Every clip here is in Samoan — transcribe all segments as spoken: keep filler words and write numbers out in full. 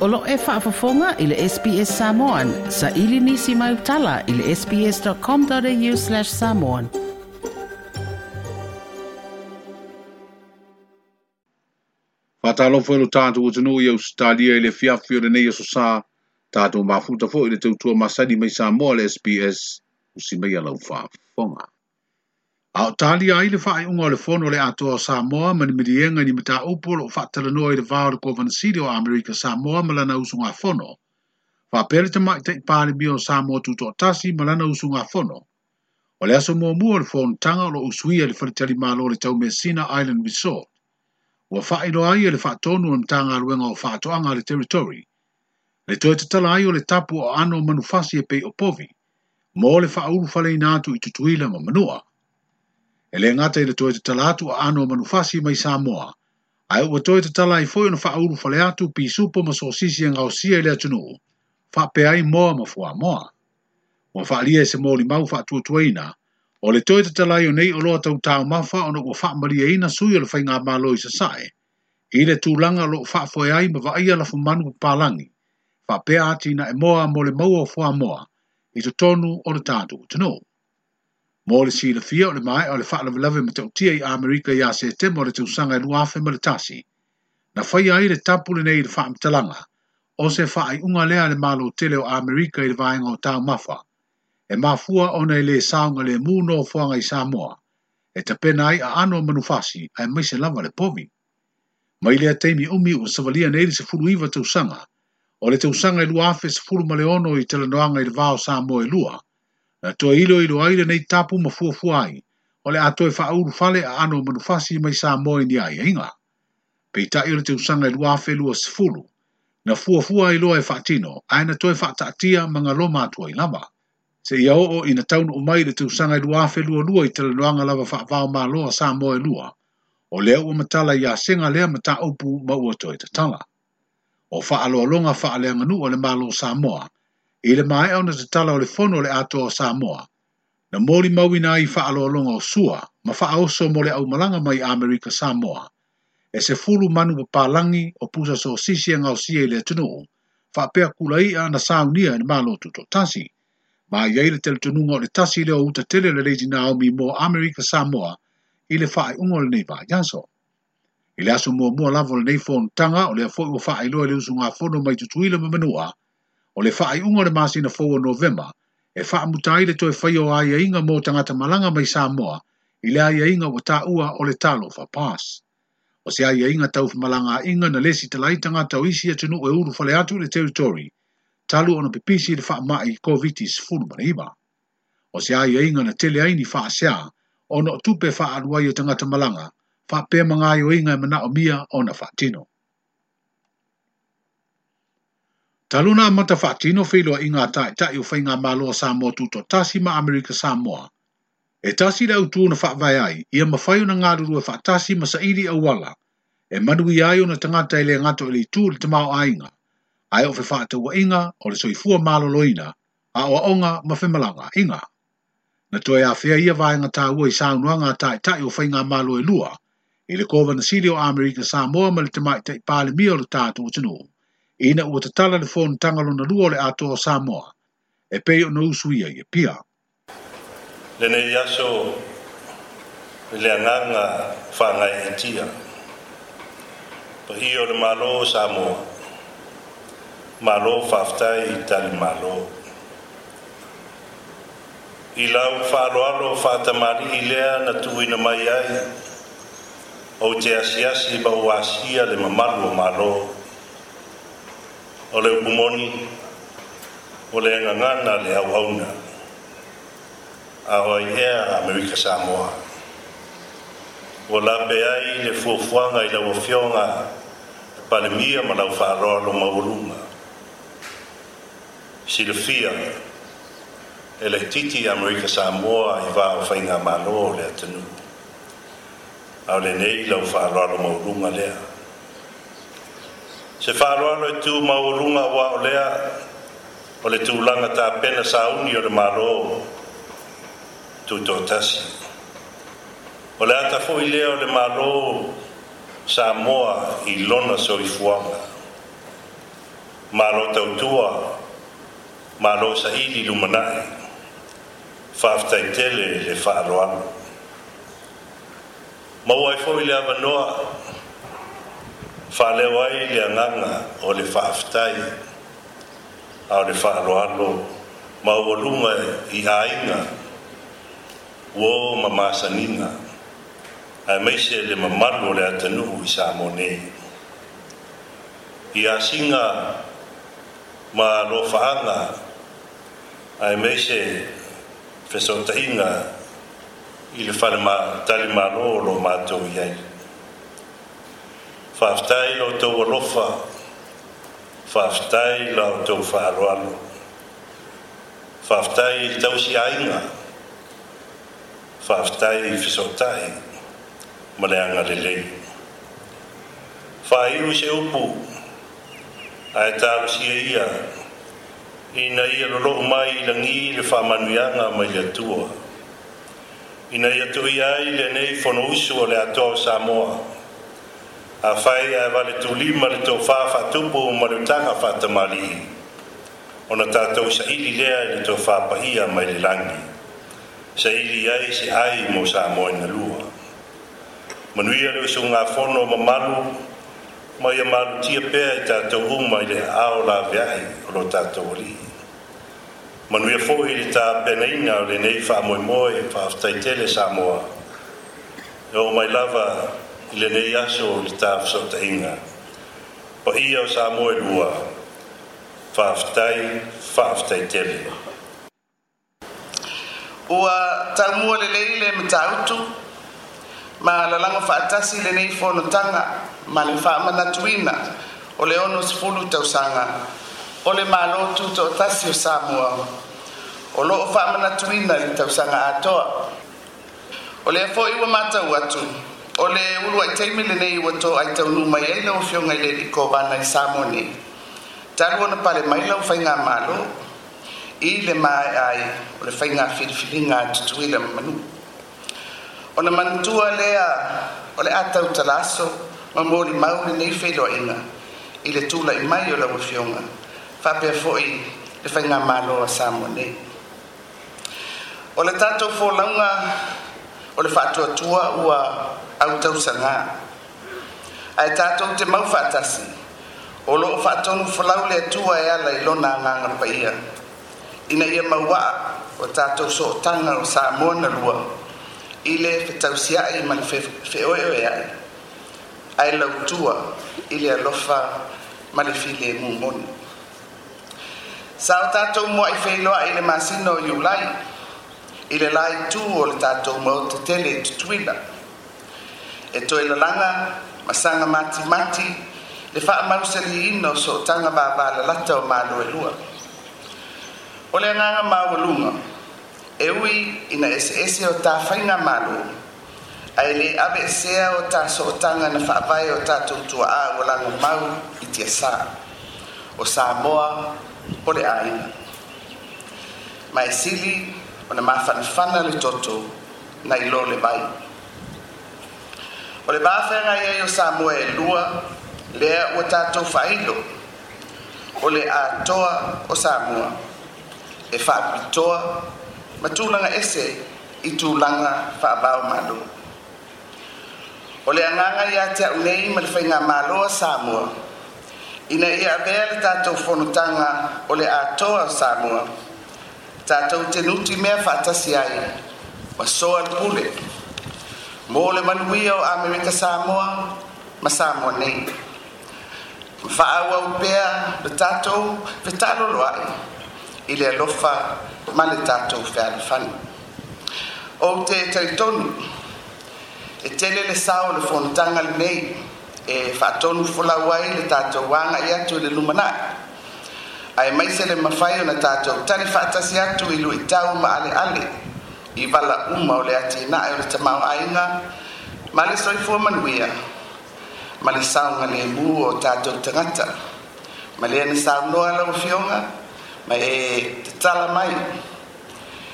O lo e faafofoga i le S B S Samoan. Sa ili nisi mai utala i le sbs.com.au slash samoan. Whātalo whaelo tātou o tanu i Australia i le fiafi o le nei aso sā. Tātou mafuta fo i le tautua masani mai Samoa le S B S usi mai alau whaafonga. A o tali ai le whaeunga o le fono le atoa o Samoa ma ni milienga ni mata upu o whaatalanoa i le vao le Kovanasili o Amerika Samoa ma lana usunga fono. Whapele te mai te pālemia o Samoa tutoatasi ma lana usunga fono. O le aso muamua o le fono tanga o lo usuia le whaletali malo le Taumeasina Island Resort. Ua whaeroa ai le whaatonu o mtanga aluenga o whaatoanga le territory. Le toe tatala ai o le tapu o ano manufasi e pei o povi. Mo le whaulu whaleina atu i tutuila ma manua. E le ngata i le toe tatala atu a ano manufasi mai Samoa. Ai ua toe tatala ai foi ona whaulu whale atu pi supo ma sosisi e ngausia i le atunuu. Whapea ai moa ma fua moa. Ua whaalia e se mōli mau whaatuatuaina. O le toe tatala ai o nei o loa tau tau mafa ona ua whaamaria ina sui o le whainga malo i sasae. I le tūlanga lo whaafoe ai ma vaia lafu manu palangi. Whapea ati na e moa mo le maua o fua moa. I totonu o le tātou tanu. Mō le silafia o le mae o le whaalavelawe ma tautia i Amerika i a se temo o le tausanga e luafe ma le tasi. Na whai ai le tapu le nei le whaamtalanga. O se whaai unga lea le malo tele o Amerika i le vaenga o tau mafa. E mafua ona i le saunga le mūno o fuanga i Samoa. E tapena ai a ano manufasi ai maise lava le povi. Mai lea teimi umi ua savalia nei le se fulu iwa tausanga. O le tausanga i luafe se fulu maleono i talanoanga i le vao Samoa e lua. Na toe ilo ilo ai le nei tapu ma fuafua ai, o le atoe whauru fale a ano manufasi mai Samoa i ni ai ainga. Peitai o le tausanga i luafe lua sefulu, na fuafua ai loa e whaatino, ae na toe whaataatia ma ngā atua i lava. Se ia oo ina taunu o mai le tausanga i luafe lua lua i talanoanga lava whaavao maloa Samoa e lua, o lea ua matala i a senga lea mata upu ma ua toe tatala. O whaaloalonga whaaleanganu o le malo Samoa, i le mae ona tatala o le fono le atoa o Samoa. Na mōli mauina i whaaloalonga o sua, ma whaoso mo le aumalanga mai Amerika Samoa. E se fulu manu papalangi o pusa so sisi e ngausia i le atunuu, whaapea kula ia na saunia i malo tutotasi. Ma iai le teletonunga o le tasi leo uta tele le Lady Naomi mo Amerika Samoa i le whaeunga o le nei vaiaso. I le aso muamua lava o le nei fonotaga o lea foi ua faailoa i le usugafono mai Tutuila ma Manua, o le faaiuga o le masina fou o Novema, e faamuta ai le toe whai o aiaiga mo tangata malanga mai Samoa i le aiaiga ua tāua o le Talofa Pass. O se aiaiga taufamalanga aiga na lesi talai tangata o isi atunuu e ulu fale atu i le territory, talu ona pipisi i le faamai COVID sefulu ma le iva. O se aiaiga na tele ai ni faasea, ona o tupe faaluai o tangata malanga, whaapea mangaioinga e manao mia ona whaatino. Taluna amata whaatino wheloa i ngā taetai o whainga maloa Samoa tutotasi ma Amerika Samoa. E tasi le autu na whaavae ai, ia mawhai ona ngāruru e whaatasi ma saili auala, e manui ai ona tangata e le ngato e le itu le tamao ainga, ai o fe whaataua inga o le soifua maloloina, a o aonga ma whemalanga inga. Na toe awhea ia vaenga tāua i saunuanga taetai o whainga malo e lua, i le Kovanasili o Amerika Samoa ma le tamaitai palemia o le tātou atunuu. Ina ua tatala le fonotaga lona lua o le atoa o Samoa, e pei ona usuia i Apia. Lenei aso i le agaga faagaeetia, paia o le Malo o Samoa, malo faafetai i tali malo. I lau faaloalo faatamalii lea na tuuina mai ai, ou te asiasi ma ua asia le mamalu o malo. O le upumoni, o le agagana le auauna, a o ai ea Amerika Samoa. Ua lape ai le fuafuaga i lau afioga palemia ma lau faaloalo maualuga. Silafia e le titi Amerika Samoa i vā o faigamalo o le atunuu. A o lenei lau faaloalo maualuga lea. Se faaloalo e tu maualuga ua o lea o le tulaga tapena sauni o le malo tutotasi. O le ata foi lea o le malo Samoa i lona soifuaga. Malo tautua, malo saili lumanai, faafetai tele le faaaloalo. Maua ai foi le avanoa, faaleo ai le agaga o le faafetai, a o le faaaloalo maualuga i aiga, uo ma masaniga, aemaise le mamalu o le atunuu i Samoa nei. I asiga ma alofaaga, aemaise fesootaiga i le fale talimalo o lo matou i ai. Faafetai la outou alofa, faafetai la outou faaaloalo, faafetai i le tausiaiga, faafetai i fesootai ma le agalelei. Faaiu se upu ae talosia ia ina ia lolou mai i lagi le faamanuiaga mai le Atua, ina ia tuia ai lenei fonousu o le Atoa o Samoa. Afai ae vale tulima le tofa faatupu ma le utaga faatamalii, ona tatou saili lea i le tofa paia mai le lagi, saili ai se ai mo Samoa ina lua. Manuia le usugafono mamalu, ma ia malutia pea i tatou uma i le aao laveai o lo tatou Alii. Manuia foi le tapenaina o lenei faamoemoe. Faafetai tele Samoa. E oo mai lava i lenei aso o le tafesootaiga. Paia o Samoa e lua, faafetai, faafetai tele. Ua taumua lelei le matautu ma lalago faatasi lenei fonotaga ma le faamanatuina o le ono sefulu tausaga o le Malo Tutoatasi o Samoa o loo faamanatuina i le tausaga atoa. O lea foi ua matau atu o le uluai taimi lenei ua toai taunuu mai ai lau Afioga i le Alii Kovana i Samoa nei, talu ona pale mai lau faigamalo i le maea ai o le faiga filifiliga a Tutuila ma Manua. Ona manatua lea o le a tautala aso ma molimau lenei feiloaiga i le tulai mai o lau Afioga faapea foi le faigamalo a Samoa nei. O le tatou folauga o le faatuatua ua autausaga, ae tatou te mau faatasi o loo faatonu folau le Atua e ala i lona agaga paia ina ia mauaa o tatou sootaga o Samoa na lua i le fetausiai ma le feoeoeai ae lautua i le alofa ma le filemu moni. Sa o tatou muai feiloai i le masina o Iulai i le la itu o le tatou maota tele i Tutuila e toe lalaga ma saga matimati le faamausaliina o sootaga vavalalata o Malo e lua. O le agaga maualuga e ui ina eseese o ta faigamalo ae le aveesea o ta sootaga na faavae o tatou tuaa ua lagomau i tiasa o Samoa o le aiga. Ma e sili ona mafanafana le toto nai lo le vai. O le vafeagai ai o Samoa e lua lea ua tatou faailo o le atoa o Samoa e faapitoa ma tulaga ese i tulaga faavaomalo. O le agaga ia te au nei ma le faigamalo a Samoa ina ia avea le tatou fonotaga o le atoa o Samoa tatou te nutimea faatasi ai ma soa le pule mo le manuia o Amerika Samoa ma Samoa nei. Ma faaauau pea le tatou fetaloloai i le alofa ma le tatou fealofani. Ou te talitonu e tele le sao o le fonotaga lenei e faatonu folau ai le tatou agai atu i le lumanai, aemaise le mafai ona tatou tali faatasi atu i luitau ma aleale i vala uma o le atinae o le tamaoaiga ma le soifua manuia ma le saogalemu o tatou tagata. Ma lea na saunoa lau Afioga ma e tatala mai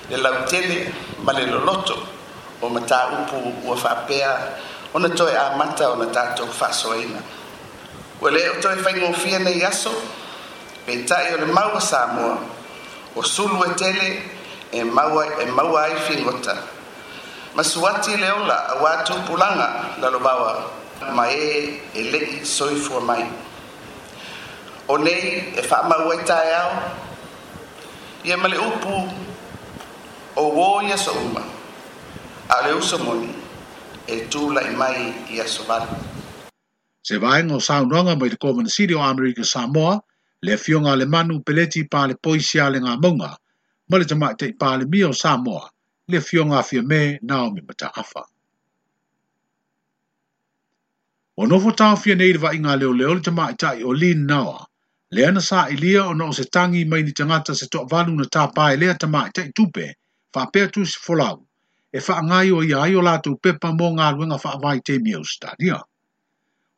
le lautele ma le loloto o mataupu ua faapea ona toe amata ona tatou faasoaina. Ua le o toe faigofie nei aso Peitai o le maua Samoa, o sulu e tele e maua, e maua ai figota. Masuati le ola a watu pulanga lalovawa ma e e lei soifua mai. O nei e whaamau ai tae ao, ia ma le upu o wo ia so uma, a le uso moni e tūlai mai i aso valu. Se vaenga o saunoaga mai le Kovana Sili o Amerika Samoa, le afioga a le Manu Peleti Palepoisi a le Gamauga, ma le Tamaitai Palemia o Samoa, le afioga a Fiame Naomi Mataafa. Ua nofo taofia nei le vaaiga a leoleo le tamaitai o Lin Naoa, lea na sa'ilia ona o se tagi mai ni tagata se to'avalu na tāpā e lea tamaitai tupe, faapea tusi folau, e fa'agaioia ai o latou pepa mo galuega fa'avaitaimi Ausetalia.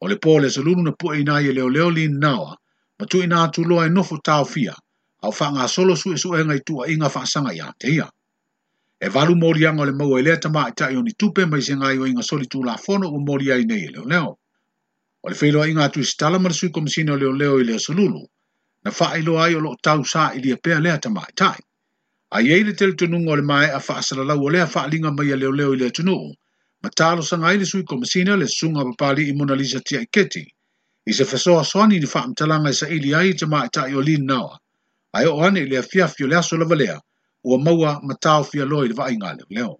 O le pō le aso lulu na pu'eina ai e leoleo Lin Naoa, ma tu'uina atu loa e nofo taofia, a o fa'agasolo su'esu'ega i tu'a'iga fa'asaga iā te ia. E valu moliaga o le maua i lea tamaitai o ni tupe mai se gaioiga soli tulafono ua moli ai nei e leoleo. O le feiloaiga atu i se tala ma le sui komisina o leoleo i le aso lulu, na fa'ailoa ai o lo'o tau sa'ilia pea lea tamaitai. Ai ai le talitonuga o le mae'a fa'asalalau o lea fa'aliga mai a leoleo i le atunu'u, ma talosaga ai le sui komisina le susuga papali'i Monalisa Tiaiketi, i se fesoasoani ni fa'amatalaga e sa'ili ai i tamaitai o Lin Naoa, ae oo ane i le afiafi o le aso lava lea, ua maua ma taofia loa i le vaaiga a leoleo.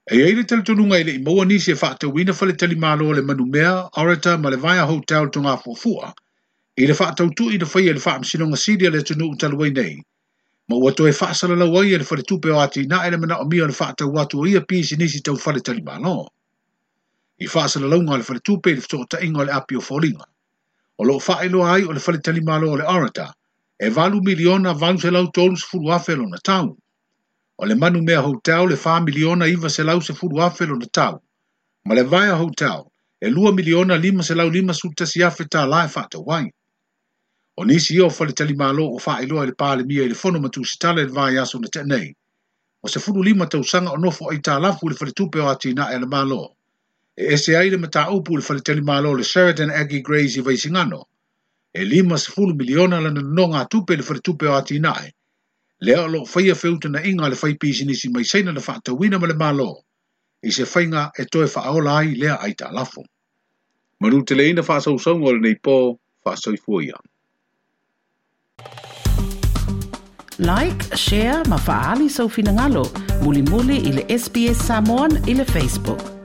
E ai le talitonuga e le'i maua nisi e fa'atauina faletalimalo o le Manumea, Orator ma le Vaea Hotel Togafuafua, i le fa'atautu'i na faia i le fa'amasinoga sili a le atunu'u talu ai nei, ma ua toe fa'asalalau ai e le faletupe o atinae le mana'omia o le fa'atau atu o ia pisinisi tau faletalimalo. I fa'asalalauga a le faletupe i le feto'ota'iga o le api o foliga. O lo'o fa'ailoa ai o le faletalimalo o le Orator, e valu miliona valu selau tolu sefulu afe lona tau. O le Manumea Hotel le fa miliona iva selau sefulu afe lona tau. Ma le Vaea Hotel e lua miliona lima selau lima sefulu tasi afe tālā e fa'atau ai. O nisi ia o faletalimalo o fa'ailoa i le Palemia i le fono ma tusitala i le vaiaso na te'a nei. O sefulu lima tausaga o nofo aitalafu i le faletupe o atinae a le Malo. E ese ai le mataupu i le faletalimalo o le Sheraton Aggie Grays i Vaisigano. E lima sefulu miliona lana nonogatupe i le faletupe o atinae. Lea o lo'o faia feutana'iga a le faipisinisi mai Saina na fa'atauina ma le Malo, i se faiga e toe fa'aola ai lea aitalafu. Manuteleina fa'asausauga o lenei pō, fa'asoifua ia. Like, share ma fa'aali sau finagalo, mulimuli i le S B S Samoan i le Facebook.